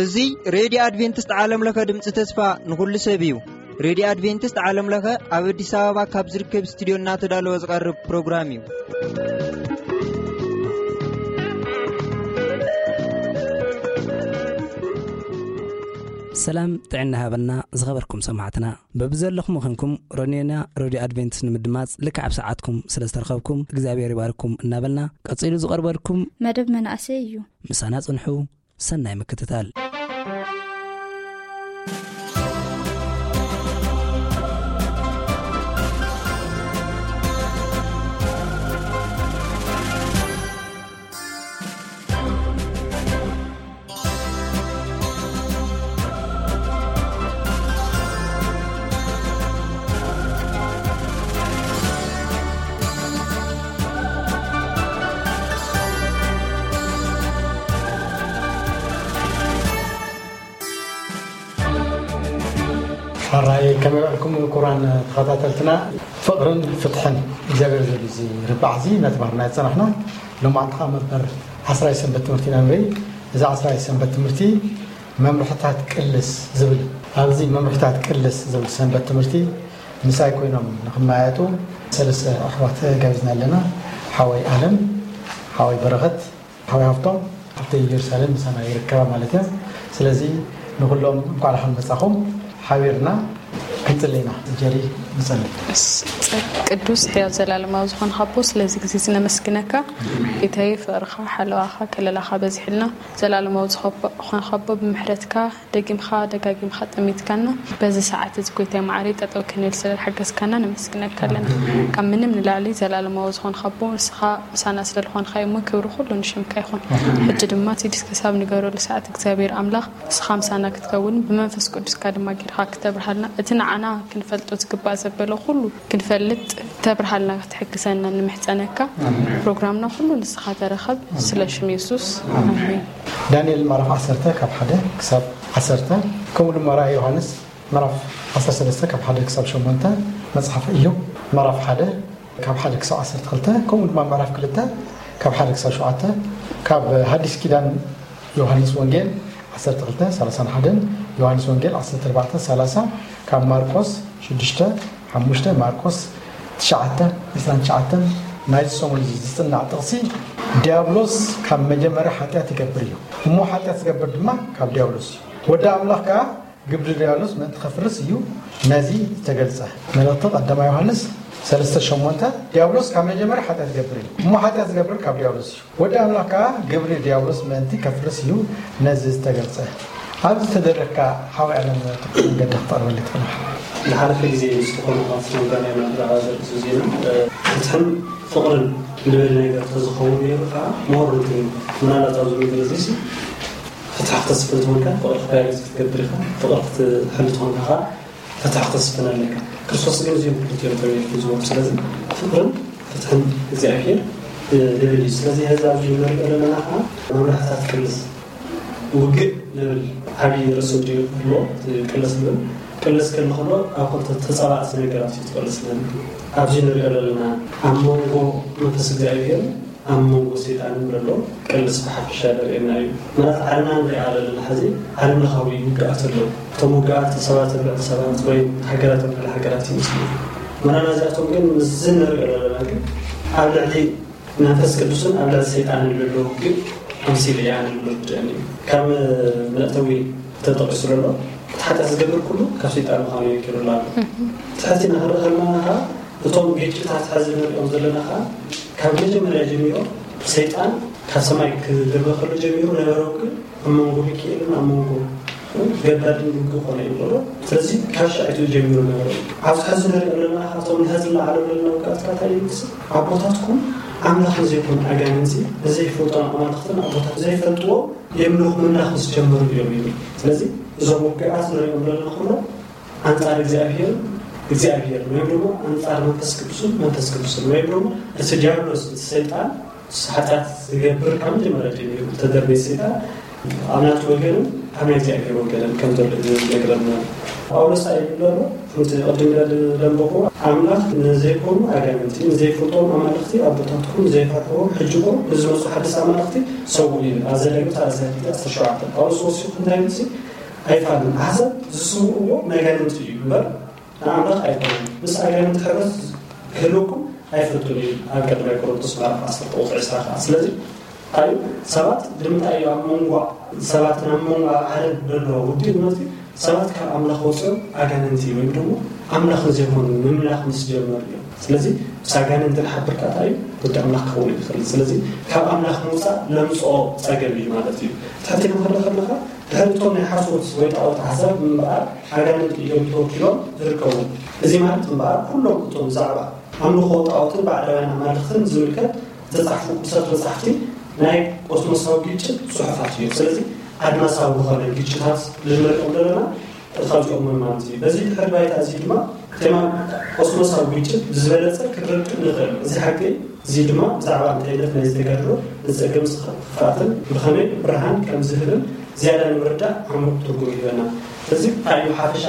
እዚ ሬድዮ ኣድቬንቲስት ዓለም ለኸ ድምፂ ተስፋ ንኹሉ ሰብ እዩ። ሬድዮ ኣድቬንቲስት ዓለም ለኸ ኣብ ኣዲስ ኣበባ ካብ ዝርከብ ስቱዲዮ እናተዳለወ ዝቐርብ ፕሮግራም እዩ። ሰላም ጥዕና ሃበና ዝኸበርኩም ሰማዕትና። በብዘለኹም ኾንኩም ሮኔና ሬድዮ ኣድቬንቲስት ንምድማፅ ልክዕ ኣብ ሰዓትኩም ስለ ዝተረኸብኩም እግዚኣብሔር ይባርኩም እናበልና፣ ቀፂሉ ዝቐርበልኩም መደብ መናእሰይ እዩ። ምሳና ጽንሑ። ሰናይ ምክትታል። ሕራይ ከመይ ውዕልኩም ክቡራን ተኸታተልትና? ፍቕርን ፍትሕን እግዚኣብሔር ዝብል እዚ ርባዕ እዚ እናተባህልና ዝጸናሕና፣ ሎማዕንቲ ኸዓ መበል ዓስራይ ሰንበት ትምህርቲ ኢና ንርኢ። እዚ ዓስራይ ሰንበት ትምህርቲ መምርሕታት ቅልስ ዝብል፣ ኣብዚ መምርሕታት ቅልስ ዝብል ሰንበት ትምህርቲ ምሳይ ኮይኖም ንኽመያየጡ ሰለስተ ኣሕዋት ጋቢዝና ኣለና። ሓወይ ኣለም፣ ሓወይ በረኸት፣ ሓወይ ሃፍቶም፣ ሓፍተይ ኢየሩሳሌም ምሳና ይርከባ ማለት እየን። ስለዚ ንኹሎም እንኳዕ ደሓን መጻኹም። ሓቢርና ክንጽሊ ኢና። ጀሪ ንጸሊ። እስ-፣ ቅዱስ ሕያው ዘላለማዊ ዝኾንካ ኣቦ፣ ስለዚ ግዜ እዚ ነመስግነካ። ጌታዬ፣ ፍቕርኻ፣ ሓለዋኻ፣ ከለላኻ በዚሕልና። ዘላለማዊ ዝኾንካ ኣቦ፣ ብምሕረትካ ደጊምካ ደጋጊምካ ጠሚትካና። በዚ ሰዓት እዚ ጎይታይ መዓረይ ጠጠው ክንብል ስለ ዝሓገዝካና ነመስግነካ ኣለና። ካብ ምንም ንላዕሊ ዘላለማዊ ዝኾንካ ኣቦ፣ ንስኻ ምሳና ስለ ዝኾንካ እሞ ክብሪ ኩሉ ንሽምካ ይኹን። ሕጂ ድማ እቲ ዲስክ ክሳብ ንገረሉ ሰዓት እግዚኣብሔር ኣምላኽ ንስኻ ምሳና ክትከውን ብመንፈስ ቅዱስካ ድማ ጌርካ ክተብርሃልና፣ እቲ ንዓና ክንፈልጦ ዝግባእ ዘበለ ኩሉ ክንፈልጥ ተብርሃልና ክትሕግዘና ንምሕጸነካ። ፕሮግራምና ኩሉ ንስኻ ተረኸብ፣ ስለ ሽም የሱስ። ኣሜን። ዳንኤል ምዕራፍ ዓሰርተ ካብ ሓደ ክሳብ ዓሰርተ፣ ከምኡ ድማ ራእይ ዮሃንስ ምዕራፍ ዓሰርተ ሰለስተ ካብ ሓደ ክሳብ ሸሞንተ፣ መጽሓፍ ኢዮብ ምዕራፍ ሓደ ካብ ሓደ ክሳብ ዓሰርተ ክልተ፣ ከምኡ ድማ ምዕራፍ ክልተ ካብ ሓደ ክሳብ ሸውዓተ፣ ካብ ሓዲስ ኪዳን ዮሃንስ ወንጌል ዓሰርተ ክልተ ሰላሳን ሓደን፣ ዮሃንስ ወንጌል ዓሰርተ ኣርባዕተ ሰላሳ፣ ካብ ማርቆስ ሽዱሽተ ሓሙሽተ፣ ማርቆስ ትሽዓተ ዕስራን ትሽዓተን። ናይዚ ሰሙን እዚ ዝጽናዕ ጥቕሲ፣ ዲያብሎስ ካብ መጀመርያ ሓጢኣት ይገብር እዩ፣ እሞ ሓጢኣት ዝገብር ድማ ካብ ዲያብሎስ እዩ። ወዲ ኣምላኽ ከኣ ግብሪ ዲያብሎስ ምእንቲ ከፍርስ እዩ ነዚ ዝተገልጸ። መልእኽቲ ቀዳማይ ዮሃንስ ሰለስተ ሸሞንተ፣ ዲያብሎስ ካብ መጀመርያ ሓጢኣት ይገብር እዩ፣ እሞ ሓጢኣት ዝገብር ካብ ዲያብሎስ እዩ። ወዲ ኣምላኽ ከኣ ግብሪ ዲያብሎስ ምእንቲ ከፍርስ እዩ ነዚ ዝተገልጸ። ኣብዚ ተደረግካ ሓወይ ኣለም ትኩር መንገዲ ክተቕርበሊ ትኽእል ኢኻ። ዝሓለፈ ግዜ ምስ ዝኾኑ ኣፍሪካውያን ናብራ ዘርእሱ ዜና፣ እ፣ ፍትሕን ፍቕርን ልብል ነገር ተዝኸውን ነይሩ ከዓ ምሁር እንትን። ምናልባት ኣብዚ ምድሪ እዚሲ ፍትሒ ክተስፍን ትኾንካ፣ ፍቕሪ ክባየር ክትገብር ኢኻ፣ ፍቕሪ ክትሕሉ ትኾንካ ከዓ ፍትሒ ክተስፍን ኣለካ። ክርስቶስ ግን እዚኦም ክልቲኦም እዮም ሒዝዎ። ስለዚ ፍቕርን ፍትሕን እግዚኣብሔር፣ እ፣ ልብል እዩ። ስለዚ ሕዚ ኣብዚ ንሪኦ ዘለና ከዓ መምርሕታት ቅልስ ውግእ ልብል ዓብዪ ርእሲ እንድዩ ክህልዎ፣ እቲ ቅልስ ልብል። ቅልስ ክብል ከሎ ኣብ ክልተ ተጻባእቲ ነገራት እዩ ትቅልስ ልብል። ኣብዚ ንሪኦ ዘለና ኣብ መንጎ መንፈስ እግዚኣብሔርን ኣብ መንጎ ሰይጣንን ዘሎ ቅልስ ብሓፈሻ ዘርእየና እዩ። ማለት ዓለምና ንሪኣ ዘለና ሕዚ ዓለም ለኻዊ ውግኣት ኣለዉ። እቶም ውግኣት ሰባት ኣብ ልዕሊ ሰባት ወይ ሃገራት ኣብ ልዕሊ ሃገራት ይመስሉ። መናና እዚኣቶም ግን ምስዚ ንሪኦ ዘለና ግን ኣብ ልዕሊ መንፈስ ቅዱስን ኣብ ልዕሊ ሰይጣንን ዘሎ ውግእ ኣምሲሉ እዩ ኣነ ዝብል ርድአኒ እዩ። ካብ መእተዊ ተጠቂሱ ዘሎ እቲ ሓጢኣት ዝገብር ኩሉ ካብ ሰይጣን ምዃኑ የንኪሩላ ኣሎ። ትሕቲ እናኽርኢ ከለና ከዓ እቶም ግጭታት ሕዚ ንሪኦም ዘለና ከዓ ካብ መጀመርያ ጀሚሮም ሰይጣን ካብ ሰማይ ክድርበ ከሎ ጀሚሩ ነበረ ውግእ ኣብ መንጎ ሚካኤልን ኣብ መንጎ ገባድን ውግእ ኮነ እዩ ዘሎ። ስለዚ ካብ ሻዒቱ ጀሚሩ ነበረ። ኣብዚ ሕዚ ንሪኦ ዘለና ካብቶም ንሕዚ ዝለዓለ ዘለና ውግኣት እንታይ እዩ ዝመስል? ኣቦታትኩም ኣምላኽ ንዘይኮኑ ኣጋንንቲ፣ ንዘይፈልጦም ኣማልኽትን ኣቦታት ዘይፈልጥዎ የምልኹ ምምላኽ ምስ ጀመሩ እዮም ይብል። ስለዚ እዞም ውግኣት ንሪኦም ዘለና ኩሎም ኣንጻር እግዚኣብሔር እግዚኣብሔር ወይም ደግሞ ኣንጻር መንፈስ ቅዱስን መንፈስ ቅዱስን ወይም ደግሞ እቲ ዲያብሎስ እቲ ሰይጣን ሓጢኣት ዝገብር ካብ መጀመርያ ጀሚሩ ተደርበየ ሰይጣን ኣብ ናቱ ወገንን ኣብ ናይ እግዚኣብሔር ወገን ከም ዘሎ እዩ ዝነግረና። ጳውሎስ እንታይ ይብል ኣሎ? ከምቲ ቅድም ኢለ ዘንበብኩዎ፣ ኣምላኽ ንዘይኮኑ ኣጋንንቲ፣ ንዘይፈልጦም ኣማልኽቲ ኣቦታትኩም፣ ንዘይፈርሕዎም ሕጂ ኮኑ ንዝመጹ ሓደስቲ ኣማልኽቲ ሰውኡ ይብል። ኣብ ዘዳግም ሰላሳ ክልተ ዓሰርተ ሸውዓተ ጳውሎስ ወሲኹ እንታይ ይብል? ኣይፋሉን። ኣሕዛብ ዝስውእዎ ነጋንንቲ እዩ እምበር ንኣምላኽ ኣይኮነን። ምስ ኣጋንንቲ ሕብረት ክህልወኩም ኣይፈቱን እዩ። ኣብ ቀዳማይ ቆሮንቶስ ምዕራፍ ዓሰርተ ቁጽሪ ዕስራ ከኣ። ስለዚ እንታይ እዩ? ሰባት ንምንታይ እዩ ኣብ መንጎ ሰባትን ኣብ መንጎ ኣብ ዓለም ዘሎ ውዲት መጥፊ ሰባት ካብ ኣምላኽ ወፂኦም ኣጋንንቲ ወይ ድማ ኣምላኽ ንዘይኮኑ ምምላኽ ምስ ጀመሩ እዮም። ስለዚ ምስ ኣጋንንቲ ንሓብር ከኣ እንታይ እዩ? ወዲ ኣምላኽ ክኸውን ይኽእል። ስለዚ ካብ ኣምላኽ ምውፃእ ለምፅኦ ፀገም እዩ ማለት እዩ። ትሕቲ ንኽእል ከለኻ ድሕሪ እቶም ናይ ሓሶት ወይ ጣዖት ኣሕዛብ ምንባር ኣጋንንቲ እዮም ተወኪሎም ዝርከቡ። እዚ ማለት እምበኣር ኩሎም እቶም ብዛዕባ ኣምልኾ ጣዖትን ባዕዳውያን ኣማልኽትን ዝምልከት ዝተጻሕፉ ቅዱሳት መጻሕፍቲ ናይ ቆስሞሳዊ ግጭት ጽሑፋት እዮም። ስለዚ ኣድማሳዊ ዝኾነ ግጭታት ልንሪኦም ዘለና ካብዚኦም እዮም ማለት እዩ። በዚ ድሕሪ ባይታ እዚ ድማ ቴማ ቆስሞሳዊ ግጭት ብዝበለጸ ክንርድእ ንኽእል። እዚ ሓቂ እዚ ድማ ብዛዕባ እንታይነት ናይ ዝተጋድሎ ንጸገም ክፍኣትን ብኸመይ ብርሃን ከም ዝህብን ዝያዳ ንምርዳእ ዓሙቕ ትርጉም ይህበና። ስለዚ እንታይ እዩ ሓፈሻ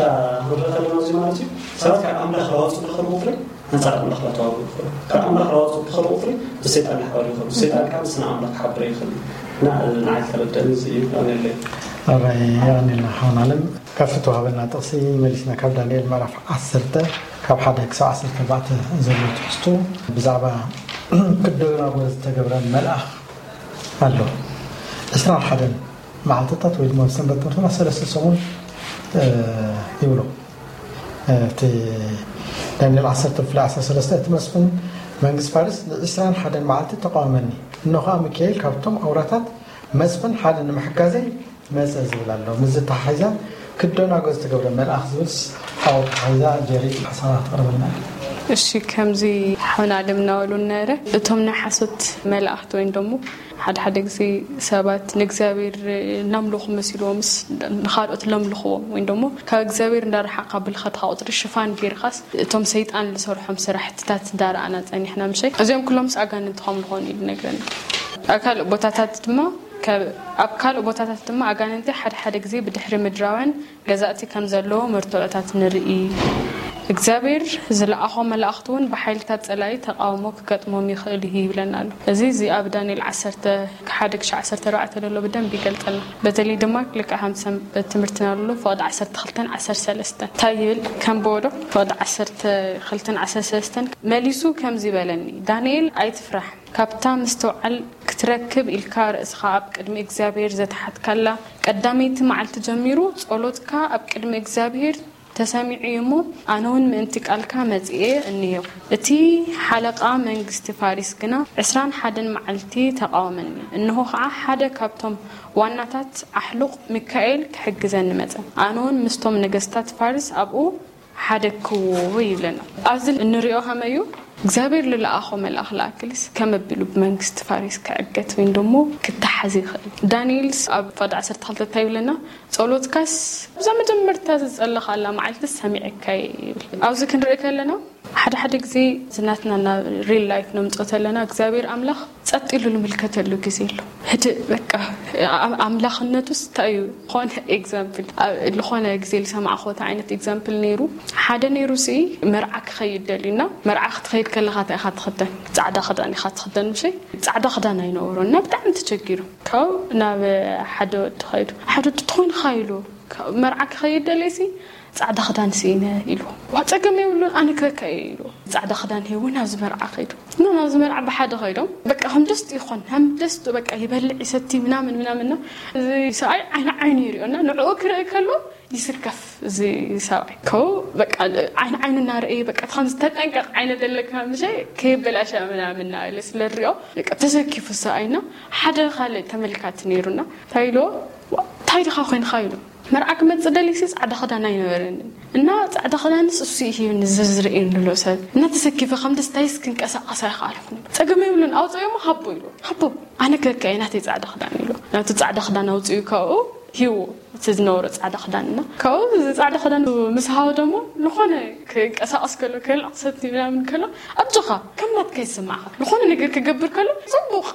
ክንርኢ ከለና እዚ ማለት እዩ ሰባት ካብ ኣምላኽ ላወፁ ብኽእል ቁፅሪ ኣንጻር ኣምላኽ ላተዋግኡ ይኽእሉ። ካብ ኣምላኽ ላወፁ ብኽእል ቁፅሪ ብሰይጣን ይሓበሩ ይኽእሉ። ሰይጣን ካብ ስነ ኣምላኽ ክሓብረ ይኽእል እዩ። እና ንዓይ ዝተረደኒ እዚ እዩ። ኣሜለይ ኣራይ የቐኒልና ሓውን ኣለም ካብቲ ተዋህበና ጥቕሲ መሊስና ካብ ዳንኤል ምዕራፍ ዓሰርተ ካብ ሓደ ክሳብ ዓሰርተ ኣርባዕተ ዘሎ ትሕዝቶ ብዛዕባ ክደናጎ ዝተገብረ መልኣኽ ኣሎ። ዕስራን ሓደን መዓልትታት ወይ ድማ ሰንበት ትምህርትና ሰለስተ ሰሙን ይብሎ። እቲ ዳንኤል ዓሰርተ ብፍላይ ዓሰርተ ሰለስተ እቲ መስፍን መንግስቲ ፋርስ ንዕስራን ሓደን መዓልቲ ተቃወመኒ፣ እነሆ ከዓ ሚካኤል ካብቶም ኣውራታት መስፍን ሓደ ንምሕጋዘይ መጸ ዝብል ኣሎ። ምስዚ ተሓሒዛ ክደናጎ ዝተገብረ መልኣኽ ዝብልስ ኣብኡ ተሓሒዛ ጀሪ ሓሳባት ተቕርበልና። እሺ፣ ከምዚ ሓውና ኣለም እናበሉ ነረ እቶም ናይ ሓሶት መላእኽቲ ወይም ደሞ ሓደ ሓደ ግዜ ሰባት ንእግዚኣብሔር እናምለኹ መሲልዎምስ ንኻልኦት ለምልኽዎም ወይም ደሞ ካብ እግዚኣብሔር እንዳረሓቕካ ብልኸትካ ቁፅሪ ሽፋን ጌርካስ እቶም ሰይጣን ዝሰርሖም ስራሕትታት እንዳረኣና ፀኒሕና ምሸይ እዚኦም ኩሎምስ ኣጋንንቲ ከም ዝኾኑ እዩ ዝነግረና። ኣብ ካልእ ቦታታት ድማ ኣብ ካልእ ቦታታት ድማ ኣጋንንቲ ሓደ ሓደ ግዜ ብድሕሪ ምድራውያን ገዛእቲ ከም ዘለዎ መርትዖታት ንርኢ። እግዚኣብሔር ዝለኣኾ መላእኽቲ እውን ብሓይልታት ጸላኢ ተቓውሞ ክገጥሞም ይኽእል እዩ ይብለና ኣሎ። እዚ እዚ ኣብ ዳንኤል ዓሰርተ ሓደ ክሻዕ ዓሰርተ ኣርባዕተ ዘሎ ብደንብ ይገልጸልና። በተለይ ድማ ልክዕ ከም ሰንበት ትምህርትና ዘሎ ፍቕዲ ዓሰርተ ክልተን ዓሰርተ ሰለስተን እንታይ ይብል ከንብቦ ዶ? ፍቕዲ ዓሰርተ ክልተን ዓሰርተ ሰለስተን መሊሱ ከምዚ በለኒ፣ ዳንኤል ኣይትፍራሕ። ካብታ ምስትውዓል ክትረክብ ኢልካ ርእስኻ ኣብ ቅድሚ እግዚኣብሄር ዘትሓትካላ ቀዳመይቲ መዓልቲ ጀሚሩ ጸሎትካ ኣብ ቅድሚ እግዚኣብሄር ተሰሚዑ እዩ እሞ፣ ኣነ እውን ምእንቲ ቃልካ መጺኤ እኒሄኹ። እቲ ሓለቓ መንግስቲ ፋሪስ ግና ዕስራን ሓደን መዓልቲ ተቓወመኒ። እንሆ ኸዓ ሓደ ካብቶም ዋናታት ኣሕሉቕ ሚካኤል ክሕግዘኒ መጸ። ኣነ እውን ምስቶም ነገስታት ፋርስ ኣብኡ ሓደግክዎ ይብለና። ኣብዚ እንሪኦ ከመይ እዩ እግዚኣብሔር ልለኣኾ መልኣኽ ለኣክልስ ከመ ኣቢሉ ብመንግስቲ ፋሪስ ክዕገት ወይም ደሞ ክተሓዝ ይኽእል። ዳንኤልስ ኣብ ፋድ ዓሰርተ ክልተ እንታይ ይብለና? ጸሎትካስ ኣብዛ መጀመርታ ዝጸለኻላ መዓልትስ ሰሚዐካየ ይብል። ኣብዚ ክንርኢ ከለና ሓደ ሓደ ግዜ ዝናትና ናብ ሪል ላይፍ ነምጽኦ ተለና እግዚኣብሔር ኣምላኽ ጸጥ ኢሉ ልምልከተሉ ግዜ ኣሎ። ህድእ በቃ ኣምላኽነቱስ እንታይ እዩ? ዝኾነ ኤግዛምፕል ዝኾነ ግዜ ዝሰማዕኹዎ ዓይነት ኤግዛምፕል ነይሩ። ሓደ ነይሩ ሲ መርዓ ክኸይድ ደልዩና መርዓ ክትኸይድ ከለኻ እንታይ ኢኻ ትኽደን? ጻዕዳ ክዳን ኢኻ ትኽደን ምሸይ? ጻዕዳ ክዳን ኣይነበሮን እና ብጣዕሚ ተቸጊሩ። ካብኡ ናብ ሓደ ወዲ ኸይዱ ሓደ ወዲ ትኾይንኻ ኢሉ መርዓ ክኸይድ ደልየ ሲ ጻዕዳ ክዳን ስኢነ ኢሉ። ዋ ጸገም የብሉን ኣነ ክህበካ እየ ኢሉ። ጻዕዳ ክዳን ሂቡ ናብዚ መርዓ ከይዱ። እና ናብዚ መርዓ ብሓደ ከይዶም በቃ ከም ደስቱ ይኾን ከም ደስቱ በቃ ይበልዕ ይሰቲ ምናምን ምናምን እና እዚ ሰብኣይ ዓይኒ ዓይኑ ይሪኦ እና ንዕኡ ክርኢ ከሎ ይስከፍ እዚ ሰብኣይ ከው በቃ ዓይኒ ዓይኑ እናረእየ በቃ ከምዚ ተጠንቀቕ ዓይነ ዘለካ ምሸ ከየበላሻ ምናምን እናበለ ስለ ንሪኦ በቃ ተሰኪፉ ሰብኣይ እና ሓደ ካልእ ተመልካቲ ነይሩና እንታይ ኢልዎ እንታይ ድኻ ኮይንካ ኢሉ መርዓ ክመጽእ ደልዩሲ ጻዕዳ ክዳን ኣይነበረንን እና ጻዕዳ ክዳንስ እሱ እዩ ሂብኒ ዝዝርእየኒ ዘሎ ሰብ እና ተሰኪፈ ከም ደስታይስ ክንቀሳቐስ ኣይኸኣልኩን ጸገም የብሉን ኣውፅኦ እሞ ሃቦ ኢሉ ሃቦ ኣነ ከካየ ናተይ ጻዕዳ ክዳን ኢሉ ናቱ ጻዕዳ ክዳን ኣውፅኡ ካብኡ ሂዎ እቲ ዝነበሮ ጻዕዳ ክዳን እና ካብኡ እዚ ጻዕዳ ክዳን ምስ ሃወ ደሞ ዝኾነ ክንቀሳቐስ ከሎ ከልቕ ሰቲ ምናምን ከሎ ኣጆኻ ከም ናትካ ይስማዕኻ ዝኾነ ነገር ክገብር ከሎ ፅቡቕ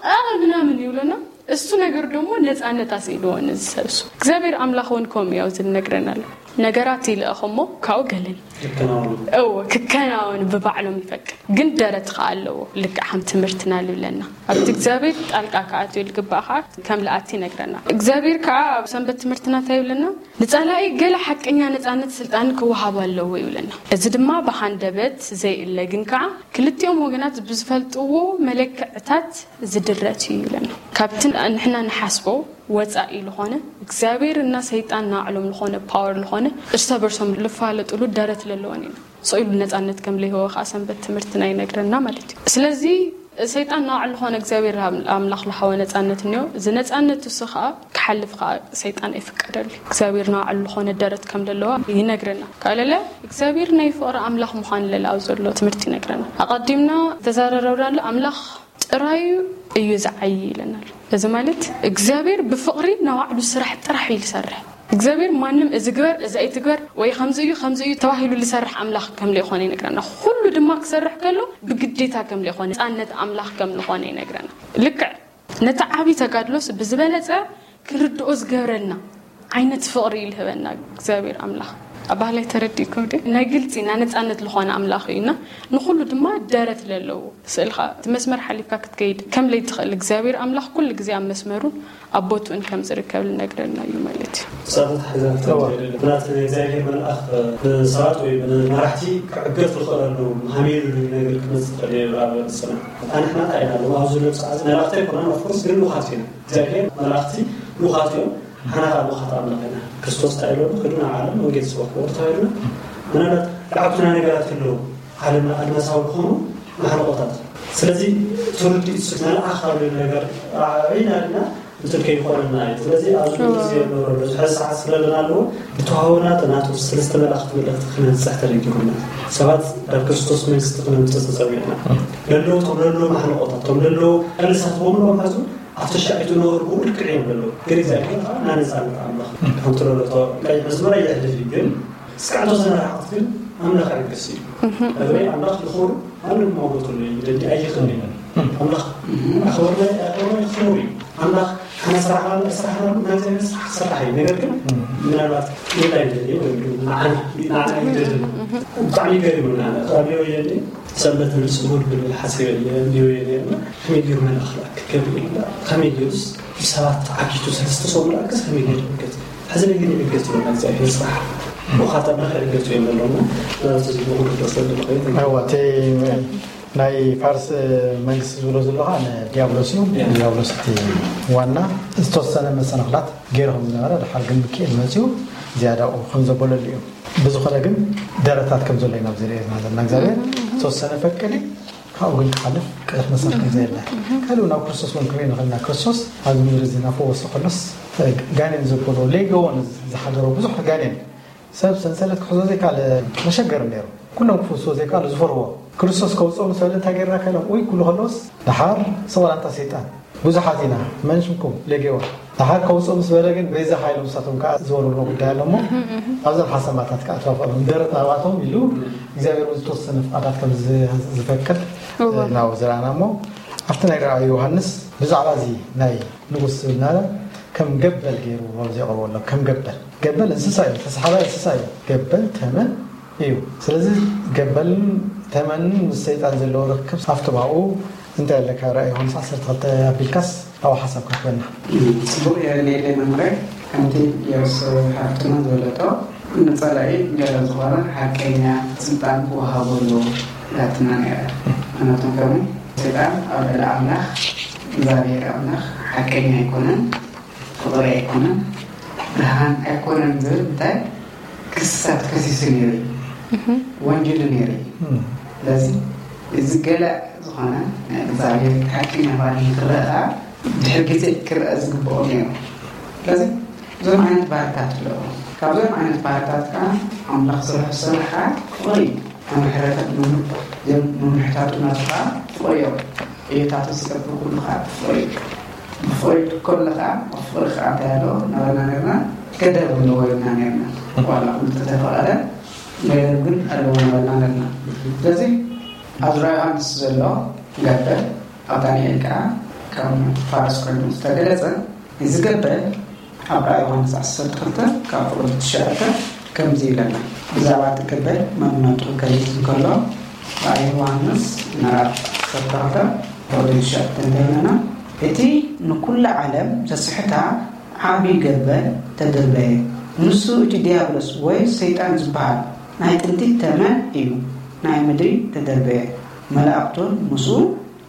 ምናምን ይብሎና እሱ ነገር ደግሞ ነፃነት ኣስኢልዎ ነዚ ሰብ እሱ። እግዚኣብሔር ኣምላኽ እውን ከምኡ ያው ዝነግረናል። ነገራት ይልእኽ እሞ ካብኡ ገለን ይከናወኑ። እዎ ክከናወኑ ብባዕሎም ይፈቅድ፣ ግን ደረት ከዓ ኣለዎ። ልክዕ ከም ትምህርትና ልብለና ኣብቲ እግዚኣብሔር ጣልቃ ክኣትዮ ልግባእ ከዓ ከም ልኣቲ ይነግረና። እግዚኣብሔር ከዓ ኣብ ሰንበት ትምህርትና እንታይ ይብለና? ንጸላኢ ገለ ሓቀኛ ነጻነት ስልጣን ክወሃብ ኣለዎ ይብለና። እዚ ድማ ብሃንደበት ዘይእለ ግን ከዓ ክልቲኦም ወገናት ብዝፈልጥዎ መለክዕታት ዝድረት እዩ ይብለና። ካብቲ ንሕና ንሓስቦ ወጻኢ ዝኾነ እግዚኣብሔር እና ሰይጣን ናዕሎም ዝኾነ ፓወር ዝኾነ እርሰ በርሶም ልፋለጥሉ ደረት ለለዎን ኢና። ስቕ ኢሉ ነጻነት ከም ለይህወ ከዓ ሰንበት ትምህርትና ይነግረና ማለት እዩ። ስለዚ ሰይጣን ናባዕሉ ዝኾነ እግዚኣብሔር ኣምላኽ ልሃወ ነጻነት እኒኦ። እዚ ነጻነት እሱ ከዓ ክሓልፍ ከዓ ሰይጣን ኣይፍቀደሉ። እግዚኣብሔር ናባዕሉ ዝኾነ ደረት ከም ለለዋ ይነግረና። ካለለ እግዚኣብሔር ናይ ፍቕሪ ኣምላኽ ምዃን ለለ ኣብ ዘሎ ትምህርቲ ይነግረና። ኣቐዲምና ተዛረረብናሉ ኣምላኽ ጥራዩ እዩ ዝዓይ ይለናል። እዚ ማለት እግዚኣብሔር ብፍቕሪ ናባዕሉ ስራሕ ጥራሕ እዩ ዝሰርሕ። እግዚኣብሔር ማንም እዚ ግበር እዚ ኣይትግበር ወይ ከምዚ እዩ ከምዚ እዩ ተባሂሉ ዝሰርሕ ኣምላኽ ከም ለይኾነ ይነግረና። ኩሉ ድማ ክሰርሕ ከሎ ብግዴታ ከም ለይኾነ ነፃነት ኣምላኽ ከም ዝኾነ ይነግረና። ልክዕ ነቲ ዓብዪ ተጋድሎስ ብዝበለፀ ክንርድኦ ዝገብረና ዓይነት ፍቕሪ እዩ ልህበና እግዚኣብሔር ኣምላኽ። ኣባህላይ ተረዲእኩም ድ ናይ ግልፂ ናይ ነፃነት ዝኾነ ኣምላኽ እዩና ንኩሉ ድማ ደረት ለለዎ ስእልካ እቲ መስመር ሓሊፍካ ክትከይድ ከም ለይትኽእል እግዚኣብሔር ኣምላኽ ኩሉ ግዜ ኣብ መስመሩን ኣብ ቦትኡን ከም ዝርከብ ልነግረና እዩ ማለት እዩ። ሳተት ሓዛ ብናት እግዚኣብሔር መልኣኽ ብሰባት ወይ ብመራሕቲ ክዕገት ዝኽእለሉ ሃሜሉ ነገር ክመፅእ ይኽእል እዩ። ኣብ ፅና ኣንሕና እንታይ ኢና ኣለዎ ኣብዚ ዘሎ ሰዓት መላእኽቲ ኣይኮናን ኦፍኮርስ ግን ልኡኻት ኢና። እግዚኣብሔር መላእኽቲ ልኡኻት እዮም። ሓና ከዓ ልኡኻት ኣምላኽ ኢና። ክርስቶስ እንታይ ኢሎ ክዱ ናብ ዓለም ወንጌል ስበክዎ ተባሂሉና። ምናልባት ላዕኩትና ነገራት ኣለዉ ዓለም ኣድማሳዊ ዝኾኑ ማሕለቆታት። ስለዚ ትውልዲ እሱ መልኣኽ ካብ ዝብል ነገር ራዕዒና ድና እንትን ከይኾነና እዩ። ስለዚ ኣብዚ ግዜ ንብረሉ ሕዚ ሰዓት ስለለና ኣለዎ ብተዋህቦና ናቱ ሰለስተ መላእኽቲ መልእኽቲ ክነብፅሕ ተደጊኹና ሰባት ናብ ክርስቶስ መንግስቲ ክነምፅእ ተፀዊዕና። ለለዉ ቶም ለለዉ ማሕለቆታት ቶም ለለዉ ቀልሳት በሙሉ ሕዙ ኣብ ተሻዒቱ ነበርኩ ልክዕ እዮም ለለዉ ግን እግዚኣብሔር ከዓ ናነፃነት ኣምላኽ ከምቲ ለሎ ቀይሕ መስመር ኣይሕልፍ እዩ ግን እስካዕ ተወሰነ ርሕቀት ግን ኣምላኽ ዕግስ እዩ። እግረይ ኣምላኽ ይኽብሩ ማንም ማውረቱ ይደሊ ኣይኽእል እዩ። ኣምላኽ ኣኽብርና ኣኽብርና ይኽብሩ እዩ። ኣምላኽ ሓና ስራሕ ስራሕ ናይ እግዚኣብሔር ስራሕ ክስራሕ እዩ። ነገር ግን ምናልባት ሌላ ይደሊ ወይ ንዓና ንዓና ይደሊ ብጣዕሚ ገሪሙና። ካብ ወየኒ ሰንበት ንስሙር ብልብል ሓሲበ እየ እንዲወየ ነርና ከመይ ገይሩ መልኣኽ ክገብር ኢልና ከመይ ገይሩስ ብሰባት ዓጊቱ ሰለስተ ሰው መልኣክስ ከመይ ገይሩ ይገት ሕዚ ነገር ይገት ይበልና እግዚኣብሔር ስራሕ ብኻታ ምኽሪ ገጹ የመለውና ስለዚ ብኹሉ ደሰ ልኸይት እዋ እቲ ናይ ፋርስ መንግስቲ ዝብሎ ዘሎ ከዓ ንዲያብሎስ እዩ። ዲያብሎስ እቲ ዋና ዝተወሰነ መሰናኽላት ገይሩ ከም ዝነበረ ድሓር ግን ምክኤል መፅኡ ዝያዳኡ ከም ዘበለሉ እዩ። ብዝኾነ ግን ደረታት ከም ዘሎ ኢና ኣብዚ ርእየና ዘለና እግዚኣብሔር ዝተወሰነ ፈቅድ ካብኡ ግን ክሓልፍ ቅድሕ መሰል ከም ዘየለ ካልኡ ናብ ክርስቶስ እውን ክንርኢ ንኽእል ኢና። ክርስቶስ ኣብዚ ምድሪ እዚ እናፈወሰ ከሎስ ጋኔን ዘበሎ ሌገዎን ዝሓደሮ ብዙሕ ጋኔን ሰብ ሰንሰለት ክሕዞ ዘይከኣለ መሸገር ነይሩ። ኩሎም ክፍውስዎ ዘይከኣሉ ዝፈርዎ ክርስቶስ ከውፅኦ ምስ በለ እንታይ ገይርና ከሎም ውይ ክብሉ ከለውስ ደሓር ሰቆላንታ ሰይጣን ብዙሓት ኢና መን ሽምኩም ሌጌዎን ደሓር ከውፅኡ ምስ በለ ግን በዚ ሓይሎም ንሳቶም ከዓ ዝበልዎ ጉዳይ ኣሎ እሞ ኣብዞም ሓሰማታት ከዓ ተዋፈሎም ደረት ናባቶም ኢሉ እግዚኣብሔር እውን ዝተወሰነ ፍቓዳት ከም ዝፈቅድ ናብኡ ዝረኣና እሞ ኣብቲ ናይ ራእይ ዮሃንስ ብዛዕባ እዚ ናይ ንጉስ ዝብል ናለ ከም ገበል ገይሩ ኣብዚ የቕርቦ ኣሎ ከም ገበል ገበል እንስሳ እዩ ተስሓባይ እንስሳ እዩ ገበል ተመን እዩ ስለዚ ገበልን ተመንን ምስ ሰይጣን ዘለዎ ርክብ ኣብቲ ባኡ እንታይ ኣለካ ራእይ ዮሃንስ ዓሰርተ ክልተ ኣቢልካስ ኣብኡ ሓሳብ ክትበና ፅቡቅ የሌለ መምረ ከምቲ የርስ ሓፍትና ዝበለቶ ንፀላኢ ገለ ዝኾነ ሓቀኛ ስልጣን ክወሃበሉ ላትና ነረ ምክንያቱም ከሙ ሰይጣን ኣብ ልዕሊ ኣምላኽ እግዚኣብሔር ኣምላኽ ሓቀኛ ኣይኮነን ፍቕሪ ኣይኮነን ብርሃን ኣይኮነን ዝብል እንታይ ክስሳት ከሲሱ ነይሩ እዩ ወንጀሉ ነይሩ እዩ ስለዚ እዚ ገለ ዝኾነ እግዚኣብሔር ሓቀኛ ባኒ ክረኣ ድሕር ግዜ ክረኣ ዝግብኦ ነይሩ ስለዚ እዞም ዓይነት ባህርታት ኣለዎ ካብዞም ዓይነት ባህርታት ከዓ ኣምላኽ ስርሑ ዝሰርሓ ፍቕሪ እዩ መምሕረታት መምሕታቱ ናቱ ከዓ ፍቕሪ እዮም እየታቱ ዝገብር ኩሉ ከዓ ፍቕሪ እዩ ብፍቕሪ ከሎ ከዓ ኣብ ፍቕሪ ከዓ እንታይ ኣለዎ ናበና ነርና ገደብ ኣለዎ ኢልና ነርና ዋላ ኩሉ ተተፈቐደ ገደብ ግን ኣለዎ ናበና ነርና ስለዚ ኣብ ዝራ ዮሃንስ ዘሎ ገበል ኣብ ዳንኤል ከዓ ከም ፋርስ ኮይኑ ዝተገለጸ፣ እዚ ገበል ኣብ ራእይ ዮሃንስ ዓሰርተ ክልተ ካብ ፍቕዲ ትሽዓተ ከምዚ ይብለና። ብዛዕባ እቲ ገበል መንነቱ ክገልጽ እንከሎ፣ ራእይ ዮሃንስ ምዕራፍ ዓሰርተ ክልተ ፍቕዲ ትሽዓተ እንታይ ይብለና? እቲ ንኩሉ ዓለም ዘስሕታ ዓቢ ገበል ተደርበየ። ንሱ እቲ ዲያብሎስ ወይ ሰይጣን ዝበሃል ናይ ጥንቲ ተመን እዩ። ናይ ምድሪ ተደርበየ። መላእክቱን ምስኡ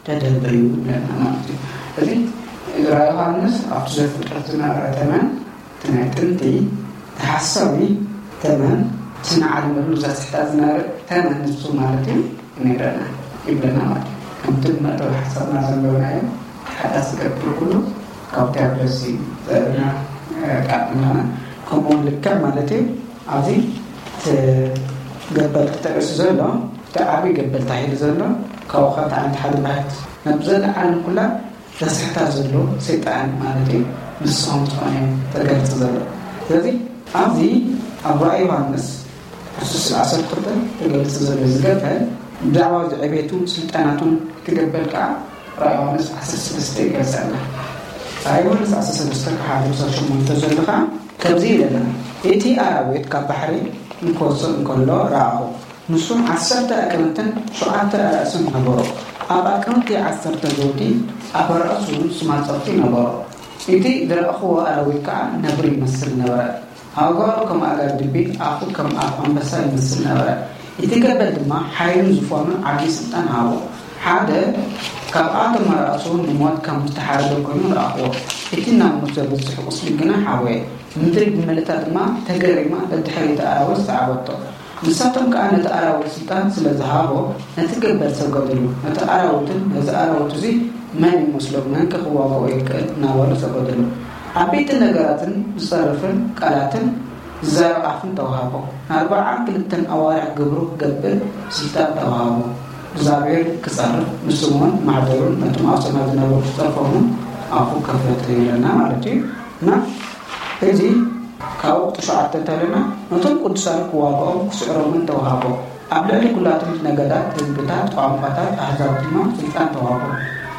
ተደርበዩ ይብለና ማለት እዩ። እዚ ራእይ ዮሃንስ ኣብቲ ዘፍጥረት ዝነበረ ተመን፣ እቲ ናይ ጥንቲ ተሓሳዊ ተመን፣ እቲ ንዓለም ምሉእ ዘስሕታ ዝነበረ ተመን ንሱ ማለት እዩ ነይረና ይብለና ማለት እዩ። ከምቲ መእተዊ ሓሳብና ዘንበብናዮ ሓዳስ ዝገብር ኩሉ ካብ ዲያብሎስ እዩ ዘርእና ቃል ኣምላኽና። ከምኡ እውን ልክዕ ማለት እዩ ኣብዚ እቲ ገበል ተጠቂሱ ዘሎ፣ እቲ ዓብዪ ገበል ተባሂሉ ዘሎ፣ ካብኡ ካብ እቲ ዓይነት ሓደ ባሕቲ ናብ ዘለዓለም ኩላ ዘስሕታ ዘሎ ሰይጣን ማለት እዩ። ንስኹም ዝኾነ ተገልጽ ዘሎ። ስለዚ ኣብዚ ኣብ ራእይ ዮሃንስ ዕስራ ዓሰርተ ክልተ ተገልጽ ዘሎ እዚ ገበል፣ ብዛዕባ እዚ ዕቤቱን ስልጣናቱን እቲ ገበል ከዓ ራእይ ዮሃንስ ዓሰርተ ሰለስተ ይገልጸልና። ራእይ ዮሃንስ ዓሰርተ ሰለስተ ካብ ሓደ ክሳብ ሸሞንተ ዘሎ ከዓ ከምዚ ይብለና፣ እቲ ኣራዊት ካብ ባሕሪ እንክወጽእ እንከሎ ረኣኹ። ንሱ ዓሰርተ ኣዕቅምትን ሸውዓተ ኣርእስን ነበሮ። ኣብ ኣዕቅምቲ ዓሰርተ ዘውዲ፣ ኣብ ኣርእሱ ስማፀብቲ ነበሮ። እቲ ዝረኣኽዎ ኣራዊት ከዓ ነብሪ ይመስል ነበረ። ኣእጋሩ ከም ኣእጋር ድቢ፣ ኣፉ ከም ኣፍ ኣንበሳ ይመስል ነበረ። እቲ ገበል ድማ ሓይልን ዙፋኑን ዓብዪ ስልጣን ሃቦ። ሓደ ካብኣቶም ኣርእሱ ንሞት ከም ዝተሓረደ ኮይኑ ረኣኽዎ። እቲ ናብ ሞት ዘብጽሕ ቁስሊ ግና ሓወየ። ምድሪ ብምልእታ ድማ ተገሪማ ደድሕሪ እቲ ኣራዊት ሰዓበቶ። ንሳቶም ከኣ ነቲ ኣራዊት ስልጣን ስለ ዝሃቦ ነቲ ገበል ሰገዱሉ። ነቲ ኣራዊትን ነዚ ኣራዊት እዚ መን ይመስሎ? መንከ ክዋግኦ ይክእል? እናበሉ ሰገዱሉ። ዓበይቲ ነገራትን ዝጸርፍን ቃላትን ዝዛረብ ኣፍን ተዋህቦ። ንኣርብዓን ክልተን ኣዋርሕ ግብሩ ክገብር ስልጣን ተዋህቦ። እግዚኣብሔር ክጸርፍ ንሱ እውን ማሕደሩን ነቶም ኣብ ሰማይ ዝነበሩ ክጸርፎምን ኣፉ ከፈተ ይብለና ማለት እዩ። እና እዚ ካብ ወቕቲ ሸውዓተ እንተለና ነቶም ቅዱሳን ክዋግኦም ክስዕሮምን ተዋህቦ። ኣብ ልዕሊ ኩላቶም ነገዳት፣ ህዝብታት፣ ቋንቋታት፣ ኣህዛብ ድማ ስልጣን ተዋህቦ።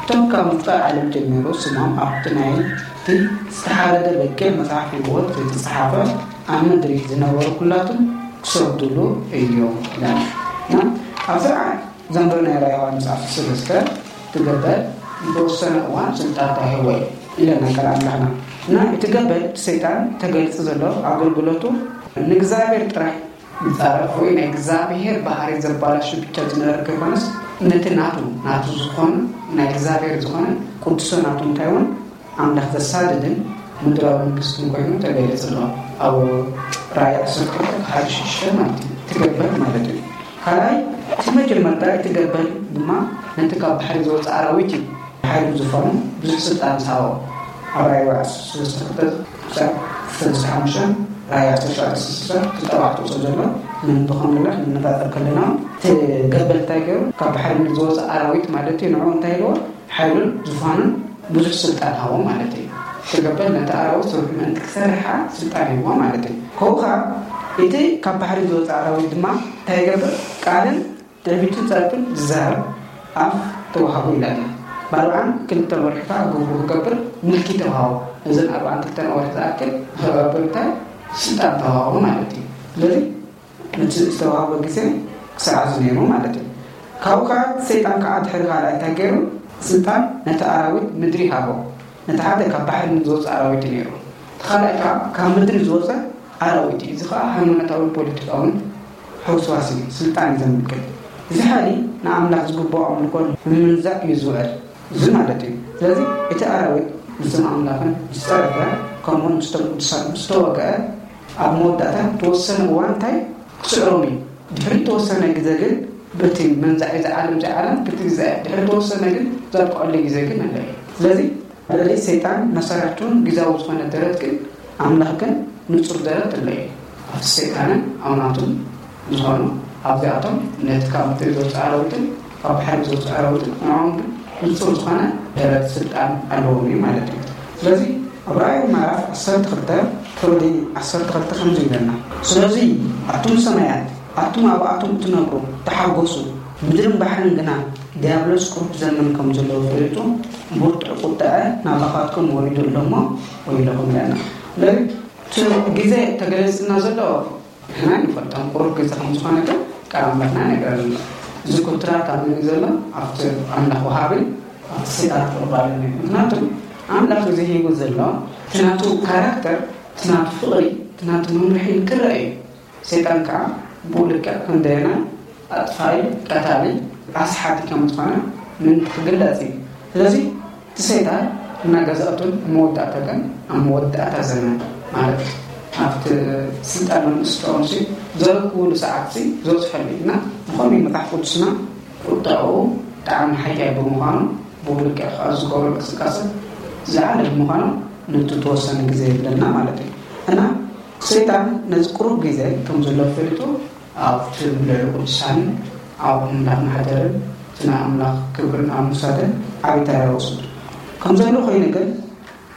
እቶም ካብ ምፍጣር ዓለም ጀሚሩ ስሞም ኣብቲ ናይቲ ዝተሓረደ በጊዕ መጽሓፍ ህይወት ዘይተጸሓፈ ኣብ ምድሪ ዝነበሩ ኩላቶም ክሰግዱሉ እዮም ይላል። እና ኣብዚ ራእይ ዘንበብናዮ ራእይ ዮሃንስ ዓሰርተ ሰለስተ እቲ ገበል ንተወሰነ እዋን ስልጣን ተዋሂቦ እዩ ኢለና ቃል ኣምላኽና። እና እቲ ገበል እቲ ሰይጣን ተገሊጹ ዘሎ ኣገልግሎቱ ንእግዚኣብሔር ጥራሕ ይጻረፍ ወይ ናይ እግዚኣብሔር ባህሪ ዘባላሹ ብቻ ዝነበረ ከይኮነስ ነቲ ናቱ ናቱ ዝኾነ ናይ እግዚኣብሔር ዝኾነ ቅዱሰ ናቱ እንታይ እውን ኣምላኽ ዘሳድድን ምድራዊ መንግስትን ኮይኑ ተገሊጹ ኣሎ። ኣብ ራእይ ዓሰርተ ክልተ ሓደ ሽዱሽተ ማለት እዩ። እቲ ገበል ማለት እዩ። ካልኣይ እቲ መጀመርታ እቲ ገበል ድማ ነቲ ካብ ባሕሪ ዝወፅእ ኣራዊት እዩ። ሓይሉ ዝኾነ ብዙሕ ስልጣን ዝሃቦ ኣብ ራእይ ዓሰርተ ክልተ ክሳብ ሓሙሽተ ራእይ ዓሰርተ ሸውዓተ ክሳብ ተባዕቶ ዘሎ ምን ዝኾነ ንነጻጸር ከለና እቲ ገበል እንታይ ገይሩ ካብ ባሕሪ ዝወፅእ ኣራዊት ማለት እዩ። ንዕኡ እንታይ ኢልዎ ሓይሉን ዝፋኑን ብዙሕ ስልጣን ሃቦ ማለት እዩ። ክገብር ነቲ ኣራዊት ስርሑ ምእንቲ ክሰርሓ ስልጣን ሂብዎ ማለት እዩ። ከኡ ኸዓ እቲ ካብ ባሕሪ ዝወፅእ ኣራዊት ድማ እንታይ ይገብር? ቃልን ትዕቢትን ፀርፍን ዝዛረብ ኣፍ ተዋህቦ ይላል። ብኣርብዓን ክልተን ወርሒ ከዓ ግብሩ ክገብር ምልኪ ተዋህቦ። እዘን ኣርብዓን ክልተን ወርሒ ዝኣክል ንክገብር እንታይ ስልጣን ተዋህቦ ማለት እዩ። ስለዚ ነቲ ዝተዋህቦ ግዜ ክሰዓዝ ነይሩ ማለት እዩ። ካብኡ ከዓ ሰይጣን ከዓ ድሕሪ ካልኣይ እንታይ ገይሩ? ስልጣን ነቲ ኣራዊት ምድሪ ሃቦ። ነቲ ሓደ ካብ ባሕሪ ንዝወፀ ኣራዊት እዩ ነይሩ። እቲ ካልኣይ ከዓ ካብ ምድሪ ዝወፀ ኣራዊት እዩ። እዚ ከዓ ሃይማኖታውን ፖለቲካውን ሕውስዋስ እዩ። ስልጣን እዩ ዘምልክት። እዚ ሓይሊ ንኣምላኽ ዝግብኦ ኣምልኮ ንምንዛዕ እዩ ዝውዕል። እዚ ማለት እዩ። ስለዚ እቲ ኣራዊት ምስቶም ኣምላኽን ዝፀረፈ ከምኡውን ምስቶም ቅዱሳን ምስ ተወግአ ኣብ መወዳእታ ተወሰነ እዋን እንታይ ክስዕሮም እዩ። ድሕሪ ተወሰነ ግዜ ግን በቲ መንዛዒ እዚ ዓለም እዚ ዓለም ክቲ ግዜ ድሕሪ ተወሰነ ግን ዘብቅዐሉ ግዜ ግን ኣለ እዩ። ስለዚ ልዕሊ ሰይጣን መሳርሕቱን ግዛዊ ዝኾነ ደረት ግን ኣምላኽ ግን ንጹር ደረት ኣሎ እዩ። ኣብቲ ሰይጣንን ኣውናቱን ዝኾኑ ኣብዚኣቶም ነቲ ካብ ምድሪ ዝወፅእ ኣራዊትን ካብ ባሕሪ ዝወፅእ ኣራዊትን ንዕኦም ግን ንጹር ዝኾነ ደረት ስልጣን ኣለዎም እዩ ማለት እዩ። ስለዚ ኣብ ራእይ ምዕራፍ ዓሰርተ ክልተ ፍቕዲ ዓሰርተ ክልተ ከምዚ ይብለና፣ ስለዚ ኣቱም ሰማያት ኣቱም ኣብኣቶም እትነብሩ ተሓጎሱ፣ ምድርን ባሕርን ግና ዲያብሎስ ቁሩብ ዘመን ከም ዘለዎ ፈሊጡ፣ ብርቱዕ ቁጥዐ ናባኻትኩም ወሪዱ ኣሎ እሞ ወይለኹም ኢለና። ስለዚ እቲ ግዜ ተገሊጽና ዘሎ ንሕና ኣይንፈልጦን፣ ቁሩብ ግዜ ከም ዝኾነ ግን ቃል ኣምላኽና ይነግረና ኣሎ። እዚ ኩትራት ኣብ መን እዩ ዘሎ? ኣብቲ ኣምላኽ ወሃቢ፣ ኣብቲ ሰይጣን ቁርባን እዩ። ምክንያቱ ኣምላኽ ግዜ ሂቡ ዘሎ እቲ ናቱ ካራክተር፣ እቲ ናቱ ፍቕሪ፣ እቲ ናቱ መምርሒ ክረአ እዩ። ሰይጣን ከዓ ብኡ ልክዕ ክንደየና ኣጥፋኢ፣ ቀታሊ፣ ኣስሓቲ ከም ዝኾነ ምእንቲ ክግለጽ እዩ። ስለዚ እቲ ሰይጣን እናገዛእቱን መወዳእታ ግን ኣብ መወዳእታ ዘመን ማለት ኣብቲ ስልጣን መንግስቲ ሲ ዘረክቡሉ ሰዓት ሲ ዝበፅሐሉ እዩ እና ብኸመይ መፅሓፍ ቅዱስና ቁጣኡ ብጣዕሚ ሓያል ብምዃኑ ብኡ ልክዕ ከዓ ዝገብሮ እንቅስቃሴ ዝዓለ ብምዃኑ ነቲ ተወሰነ ግዜ የብለና ማለት እዩ እና ሰይጣን ነዚ ቁሩብ ግዜ ከም ዘሎ ፈሊጡ ኣብቲ ልዕሊ ቅዱሳንን ኣብ ኣምላኽ ማሕደርን እቲ ናይ ኣምላኽ ክብርን ኣብ ምውሳድን ዓብዪ ተራ ይወስድ ከም ዘሎ ኮይኑ ግን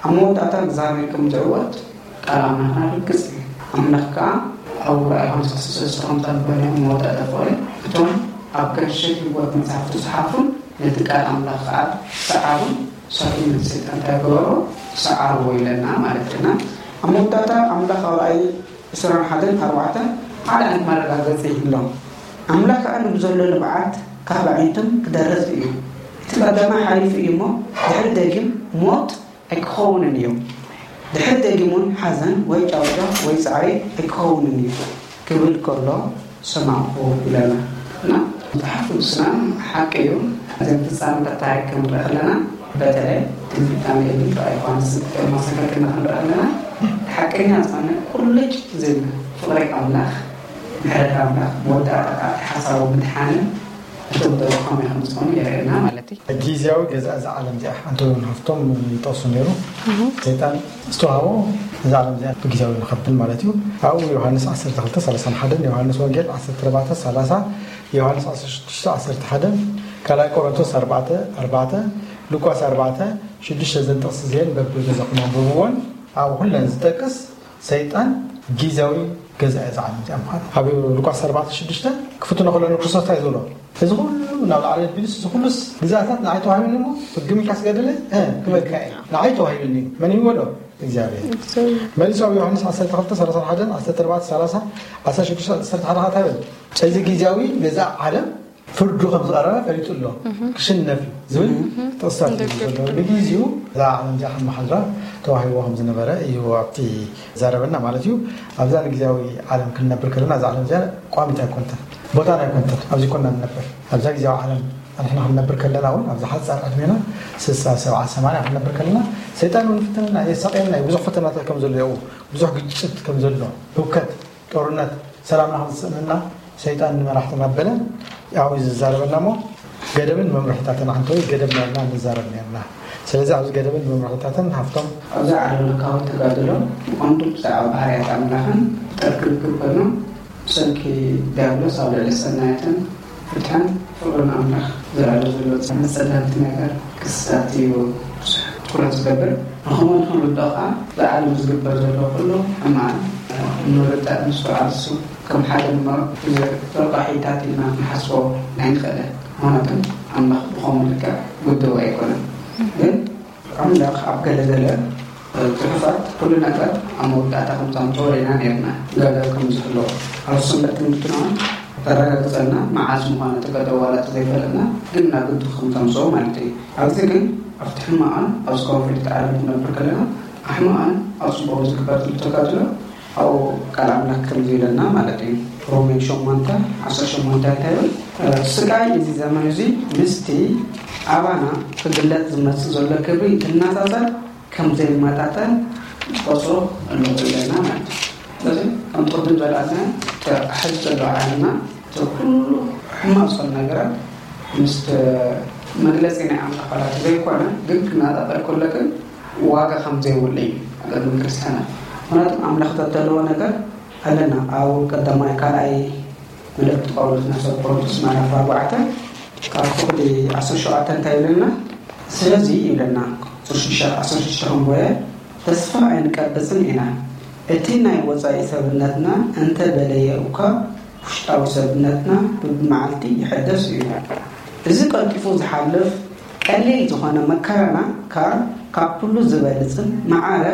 ኣብ መወዳእታ እግዚኣብሔር ከም ዝዕወት ቃል ኣምላኽና ርግጽ እዩ። ኣምላኽ ከኣ ኣብ ራእይ ዮሃንስ ዓሰርተ ሰለስተ ከምታ ዝበለ መወዳእታ ፍቕሪ እቶም ኣብ ገርሸት ህይወት መጽሓፍ ተጽሓፉን ነቲ ቃል ኣምላኽ ከኣ ሰዓሩን ሰብኡን ነቲ ሰይጣን እንታይ ገበሮ ሰዓርዎ ኢለና ማለት ኢና። ኣብ መወዳእታ ኣምላኽ ኣብ ራእይ ዕስራን ሓደን ኣርባዕተን ሓደ ዓይነት መረጋገጺ ይህሎም። ኣምላኽ ከኣ ንብዘሎ ንብዓት ካብ ኣዒንቶም ክደርዝ እዩ። እቲ ቀዳማይ ሓሊፉ እዩ እሞ ድሕሪ ደጊም ሞት ኣይክኸውንን እዩ። ድሕሪ ደጊም እውን ሓዘን ወይ ጫውጫው ወይ ጻዕሪ ኣይክኸውንን እዩ ክብል ከሎ ሰማዕኹ ኢለና እና መጽሓፍ ቅዱስና ሓቂ እዩ። እዘን ፍጻመታት ታሪክ ክንርኢ ከለና በተለይ ትንቢት ዳንኤልን ራእይ ዮሃንስን ክማሳኸልና ክንርኢ ከለና ሓቀኛ ዝኾነ ቁልጭ ዝብል ፍቕሪ ኣምላኽ ምሕረት ኣምላኽ መወዳእታ ከዓ ሓሳቡ ምድሓንን እቶም ደረኾም ኢኹም ዝኾኑ የርእየና ማለት እዩ። ግዜያዊ ገዛ እዛ ዓለም እዚኣ ኣንቶኒ ሃፍቶም ይጠቕሱ ነይሩ። ሰይጣን ዝተዋህቦ እዛ ዓለም እዚኣ ብግዜያዊ ንኸብል ማለት እዩ። ኣብኡ ዮሃንስ ዓሰርተ ክልተ ሰላሳ ሓደ፣ ዮሃንስ ወንጌል ዓሰርተ ኣርባዕተ ሰላሳ፣ ዮሃንስ ዓሰርተ ሽዱሽተ ዓሰርተ ሓደ፣ ካልኣይ ቆሮንቶስ ኣርባዕተ ኣርባዕተ፣ ሉቃስ ኣርባዕተ ሽዱሽተ፣ ዘን ጥቕሲ እዚአን በብገዛኹም ኣንብብዎን ኣብኡ ኩለን ዝጠቅስ ሰይጣን ግዜያዊ ገዛኢ እዛ ዓለም እዚኣ ምዃኑ። ኣብ ሉቃስ ኣርባዕተ ሽዱሽተ ክፍትኖ ከሎ ንክርስቶስ እንታይ ዝብሎ? እዚ ኩሉ ናብ ላዕሊ ኣቢሉስ፣ እዚ ኩሉስ ግዛታት ንዓይ ተዋሂቡኒ እሞ፣ ህግም ኢልካ ስገደለ፣ እ፣ ክበልካ እየ። ንዓይ ተዋሂቡኒ እዩ። መን ይህቦ ዶ? እግዚኣብሔር። እግዚኣብሔር። መሊሱ ኣብ ዮሃንስ ዓሰርተ ክልተ ሰላሳ ሓደ፣ ዓሰርተ ኣርባዕተ ሰላሳ፣ ዓሰርተ ሽዱሽተ ዓሰርተ ሓደ እንታይ ይብል? እዚ ግዜያዊ ገዛ ዓለም ፍርዱ ከም ዝቐረበ ፈሊጡ ኣሎ። እህ። ክሽነፍ እዩ ዝብል እህ። ጥቕስታት እዩ ደገፍ ዘሎ። እዩ። ንግዜኡ እዛ ዓለም እዚኣ ከም መሓድራ ተዋሂቦ ከም ዝነበረ እዩ ኣብቲ ዘረበና ማለት እዩ። ኣብዛ ንግዜያዊ ዓለም ክንነብር ከለና እዛ ዓለም እዚኣ ቋሚት ኣይኮንትን፣ ቦታን ኣይኮንትን። ኣብዚ ኮና ንነብር። ኣብዛ ግዜያዊ ዓለም ንሕና ክንነብር ከለና እውን ኣብዛ ሓጻር ዕድሜና ስሳ፣ ሰብዓ፣ ሰማንያ ክንነብር ከለና ሰይጣን እውን ይፍትነና፣ የሳቕየና እዩ። ብዙሕ ፈተናታት ከም ዘሎ የው፣ ብዙሕ ግጭት ከም ዘሎ፣ ህውከት፣ ጦርነት፣ ሰላምና ክዝጽእንና ሰይጣን ንመራሕትና በለ ኣብኡ እዩ ዝዛረበና እሞ ገደብን መምርሕታትን ኣንተ ወይ ገደብ ነርና ንዛረብ ነርና። ስለዚ ኣብዚ ገደብን መምርሕታትን ሃፍቶም ኣብዚ ዓለም ለካዊ ተጋድሎ ብቐንዱ ብዛዕባ ባህርያት ኣምላኽን ጠርክብ ግብርና ብሰንኪ ዲያብሎስ ኣብ ልዕሊ ሰናያትን ፍትሕን ፍቕርን ኣምላኽ ዝረኣዩ ዘሎ መጸለምቲ ነገር ክስታት እዩ ብዙሕ ትኩረት ዝገብር። ንኸምኡ ንኽንርድኦ ከኣ ብዓለም ዝግበር ዘሎ ኩሉ ሕማቕ ንምርዳእ ምስትውዓል እሱ ከም ሓደ እምበር ብዙሕ ረቋሒታት ኢልና ክንሓስቦ ኣይንኽእልን። ምኽንያቱ ኣምላኽ ብኸምኡ ልክዕ ውድብ ኣይኮነን። ግን ኣምላኽ ኣብ ገለ ገለ ጽሑፋት ኩሉ ነገር ኣብ መወዳእታ ከም ዘምጽኦ ርኢና ነርና። ገለ ከም ዝህልዎ ኣብ ሰንበት ትምህርትና ተረጋግጸልና መዓስ ምዃኑ እቲ ገደብ ዋላ ተዘይፈለጥና ግን ናብ ግዱ ከም ዘምጽኦ ማለት እዩ። ኣብዚ ግን ኣብቲ ሕማቕን ኣብ ዝከውን ፍልይቲ ዓለም ክንነብር ከለና ኣብ ሕማቕን ኣብ ጽቡቕን ዝግበር ዘሎ ተጋድሎ ኣብኡ ቃል ኣምላኽ ከምዚ ኢለና ማለት እዩ። ሮሜ ሸሞንተ ዓሰርተ ሸሞንተ እንታይ ይብል? ስቃይ እዚ ዘመን እዚ ምስቲ ኣባና ክግለጽ ዝመጽእ ዘሎ ክብሪ እንትነጻጸር ከም ዘይመጣጠን ቆጽሮ ኣለዎ ኢለና ማለት እዩ። ስለዚ ከምቲ ቅድም ዘልኣልና እቲ ሕዚ ዘሎ ዓለምና እቲ ኩሉ ሕማቕ ዝኾነ ነገራት ምስ መግለጺ ናይ ኣምላኽ ቃላት ዘይኮነ ግን ክነጻጸር ከሎ ግን ዋጋ ከም ዘይብሉ እዩ ኣገልግሎት ክርስትያናት። ምክንያቱ ኣምላኽ ተተለዎ ነገር ኣለና ኣብ ቀዳማይ ካልኣይ መልእክቲ ጳውሎስ ናብ ሰብ ቆሮንቶስ ምዕራፍ ኣርባዕተ ካብ ክፍሊ ዓሰርተ ሸውዓተ እንታይ ይብለና? ስለዚ ይብለና ዓሰርተ ሽዱሽተ ዓሰርተ ሽዱሽተ ክንበየ ተስፋ ኣይንቀብጽን ኢና። እቲ ናይ ወጻኢ ሰብነትና እንተ በለየ እኳ ውሽጣዊ ሰብነትና ብብመዓልቲ ይሕደስ እዩ። እዚ ቀልጢፉ ዝሓልፍ ቀሊል ዝኾነ መከራና ከኣ ካብ ኩሉ ዝበልጽን ማዕረ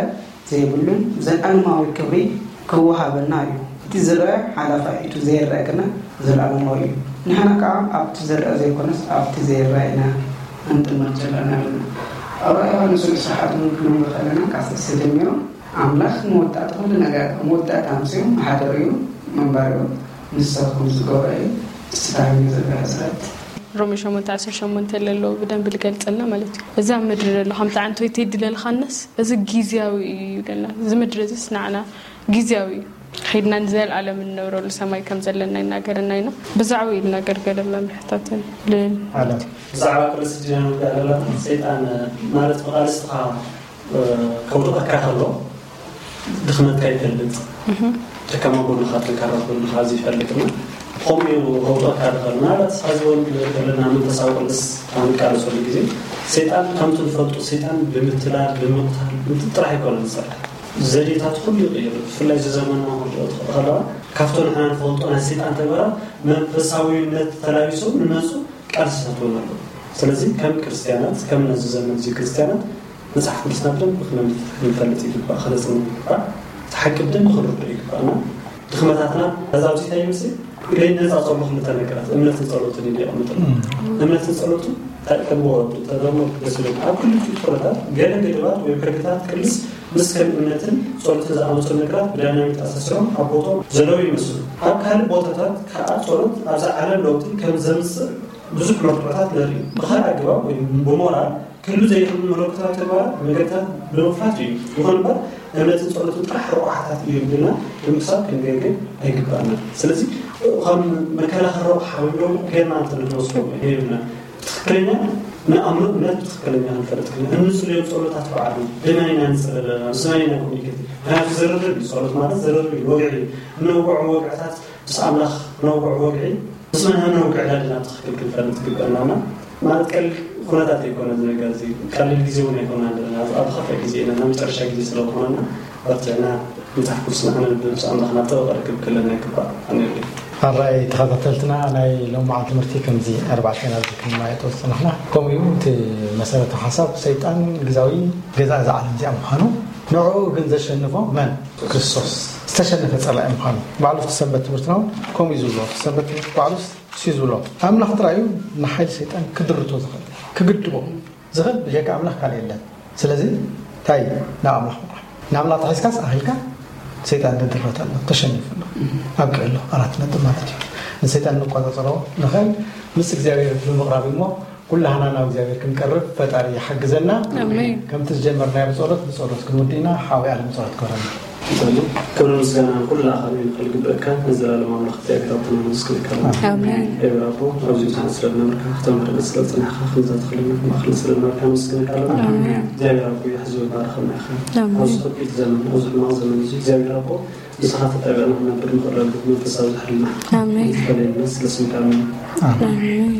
ዘይብሉን ዘለኣለማዊ ክብሪ ክወሃበና እዩ። እቲ ዝረአ ሓላፋይ፣ እቲ ዘይረአ ግና ዘለኣለማዊ እዩ። ንሕና ከኣ ኣብቲ ዝረአ ዘይኮነስ ኣብቲ ዘይረአ ኢና ክንጥመት ዘለና ኣለና። ኣብ ራእይ ዮሃንስ ርእሲ ሓቱ ክንብሎ ከለና ካብ ሰለስተ ጀሚሩ ኣምላኽ መወዳእታ ኩሉ ነገር፣ መወዳእታ ኣምስዩ ሓደር እዩ፣ ምንባር እዩ። ንስኻ ከም ዝገብሮ እዩ። እስቲ ታሪኽ ዘበለ ስረት ሮሜ ሸሞንተ ዓሰርተ ሸሞንተ ለሎ ብደንብ ልገልጸልና ማለት እዩ። እዛ ምድሪ ለሎ ከምቲ ዓንቶይ ትሄድ ለልኻነስ እዚ ግዝያዊ እዩ ይብለና። እዚ ምድሪ እዚስ ንዓና ግዝያዊ እዩ። ኺድና ንዘለኣለም እንነብረሉ ሰማይ ከም ዘለና ይናገረና ኢና። ብዛዕባ ይናገር ገለ መምርሕታትን ልን ኣለ። ብዛዕባ ቅልስ ዲና ንውዳእ ዘለና ሰይጣን ማለት ብቃልስትኻ ከውድቐካ ከሎ ድኽመትካ ይፈልጥ። ደካማ ጎንኻ፣ ጠንካራ ጎንኻ እዚ ይፈልጥና ከምኡ እዩ ከውድቐካ ዝኽእል። ምናልባት ሕዚ እውን ዘለና መንፈሳዊ ቅልስ ኣብ ንቃለሰሉ ግዜ ሰይጣን ከምቲ ንፈልጡ ሰይጣን ብምትላል ብምቕታል ጥራሕ ኣይኮነን ዝሰርሕ። ዘዴታት ኩሉ ይቕይር። ብፍላይ እዚ ዘመንና ክንሪኦ ትኽእል ከለዋ ካብቶ ንሕና ንፈልጦ ናይ ሰይጣን ተግባራት መንፈሳዊነት ተላቢሶም ንመፁ ቃልስታት እውን ኣለዉ። ስለዚ ከም ክርስትያናት፣ ከም ነዚ ዘመን እዚ ክርስትያናት መጽሓፍ ቅዱስና ብደንብ ክነንብብ ክንፈልጥ ይግባእ፣ ክነጽንዕ ይግባእ። እቲ ሓቂ ብደንብ ክንርድኦ ይግባእና። ድኽመታትና ከዛ ኣብዚ እንታይ ይመስል? ኢለይ ነጻ ጸሎ ክልተ ነገራት እምነትን ጸሎትን ኢሉ የቐምጥልና። እምነትን ጸሎትን እንታይ ከም ወረዱ ተደሞ ደስ ይብል። ኣብ ክልቲኡ ትኹረታት ገለ ገደባት ወይ ሕግታት ቅልስ ምስ ከም እምነትን ጸሎትን ዝኣመሰሉ ነገራት ብዳይናሚክ ተኣሳሲሮም ኣብ ቦታኦም ዘለዉ ይመስሉ። ኣብ ካልእ ቦታታት ከኣ ጸሎት ኣብዛ ዓለም ለውጢ ከም ዘምጽእ ብዙሕ መርትዖታት ነርኢ። ብኻልእ ኣገባብ ወይ ብሞራል ክህሉ ዘይኽእል መለኮታዊ ተግባራት መገድታት ብምኽፋት እዩ። ይኹን እምበር እምነትን ጸሎትን ጥራሕ ረቑሓታት እዮም ኢልና ብምሕሳብ ክንገግን ኣይግባእና። ስለዚ ከም መከላኸሊ ረቑሓ ወይ ደሞ ጌርና እንተ ንወስዶ ይህብና። ትኽክለኛ ንኣምኖ እምነት ብትኽክለኛ ክንፈልጥ ክና እንጽልዮም ጸሎታት በዓሉ ብመን ኢና ንጽሊ ዘለና? ምስ መን ኢና ኮሚኒኬት? ምክንያቱ ዝርርብ እዩ። ጸሎት ማለት ዝርርብ እዩ፣ ወግዒ እዩ። እነውግዖም ወግዕታት ምስ ኣምላኽ ነውግዖ ወግዒ ምስ መን ነውግዕ ኢና ድና ብትኽክል ክንፈልጥ ይግበእናና። ማለት ቀሊል ኩነታት ኣይኮነ እዚ ነገር እዚ፣ ቀሊል ግዜ እውን ኣይኮነ ኣለና። ኣብ ከፋይ ግዜ ኢና፣ ናብ መጨረሻ ግዜ ስለ ዝኾነና በርቲዕና መጽሓፍ ቅዱስና ክነንብብ ምስ ኣምላኽና ጥበቕ ርክብ ክህለና ይግባእ። ኣነ ኣራይ ተኸታተልትና ናይ ሎማዓንቲ ትምህርቲ ከምዚ ኣርባዕተ ኢና ኣብዚ ክንመያየጦ ዝጸናሕና። ከምኡ እዩ እቲ መሰረታዊ ሓሳብ ሰይጣን ግዛዊ ገዛ እዛ ዓለም እዚኣ ምዃኑ፣ ንዕኡ ግን ዘሸንፎ መን? ክርስቶስ ዝተሸነፈ ጸላኢ ምዃኑ ባዕሉ እቲ ሰንበት ትምህርትና እውን ከምኡ እዩ ዝብሎ። እቲ ሰንበት ትምህርቲ ባዕሉስ እሱ እዩ ዝብሎ። ኣምላኽ ጥራይ እዩ ንሓይሊ ሰይጣን ክድርቶ ዝኽእል፣ ክግድቦ ዝኽእል ብጀካ ኣምላኽ ካልእ የለን። ስለዚ እንታይ ናብ ኣምላኽ ምቕራብ፣ ንኣምላኽ ተሒዝካስ ኣኺልካ ሰይጣን ተድረተ ኣሎ፣ ተሸኒፉ ኣሎ፣ ኣብቂዑ ኣሎ። ኣራት ነጥብ ማለት እዩ። ንሰይጣን ንቆጻጸሮ ንኽእል ምስ እግዚኣብሔር ብምቕራብ እሞ ኩላህና ናብ እግዚኣብሔር ክንቀርብ ፈጣሪ ይሓግዘና። ኣሜን። ከምቲ ዝጀመርናዮ ብጸሎት ብጸሎት ክንውድእና ሓዊ ዓለም ጸሎት ክበረና። ንጸሊ። ክብርን ምስጋናን ኩሉ ኣኻሊ ንኽእል ግበእካ ንዘላለም ኣምላኽ እግዚኣብሔር ኣቦና ነመስግነካ ኣለና። ኣሜን። እግዚኣብሔር ኣቦ ኣብዚ ምሳና ስለ ዝነበርካ ክተምህረና ስለ ዝጸናሕካ ከምዛ ተኽልና ማእኸል ስለ ዝነበርካ ነመስግነካ ኣለና። ኣሜን። እግዚኣብሔር ኣቦ ሕዚ ባርኸና ኢኻ። ኣሜን። ኣብዚ ከቢድ ዘመን ኣብዚ ሕማቕ ዘመን እዚ እግዚኣብሔር ኣቦ ንስኻ ተጣቢቕና ክነብር ንኽእለሉ መንፈሳዊ ዝሕልና ኣሜን። ተፈለየና ስለ ስምካ ኣሜን። ኣሜን።